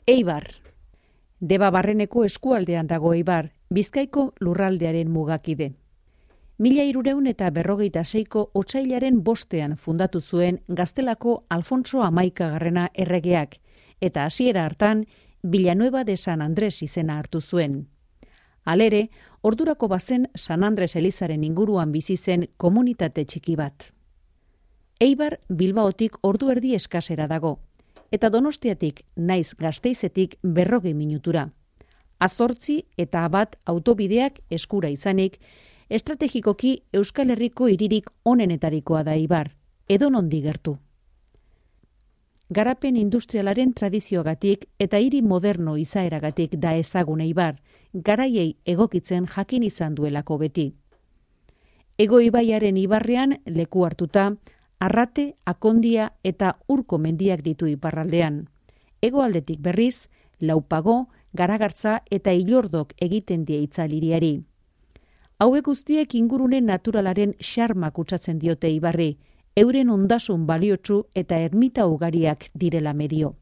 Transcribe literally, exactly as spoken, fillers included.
Eibar. Deba barreneko eskualdean dago Eibar, Bizkaiko lurraldearen mugakide. Mila hirurehun eta berrogeita seiko otsailaren bostean fundatu zuen Gaztelako Alfonso hamaikagarrena erregeak, eta hasiera hartan Villanueva de San Andrés izena hartu zuen. Halere, ordurako bazen San Andres elizaren inguruan bizi zen komunitate txiki bat. Eibar Bilbaotik ordu erdi eskasera dago, eta Donostiatik naiz Gasteizetik berrogei minutura. Azortzi eta bat autobideak eskura izanik, estrategikoki Euskal Herriko hiririk onenetarikoa da Eibar, edonondi gertu. Garapen industrialaren tradizioagatik eta hiri moderno izaeragatik da ezagun Eibar, garaiei egokitzen jakin izan duelako beti. Ego ibaiaren ibarrean leku hartuta, Arrate, Akondia eta Urko mendiak ditu iparraldean. Hegoaldetik berriz, Laupago, Garagartza eta Ilordok egiten die itzaliriari. Hauek guztiek ingurune naturalaren xarma kutsatzen diote Eibarri, euren ondasun baliotsu eta ermita ugariak direla medio.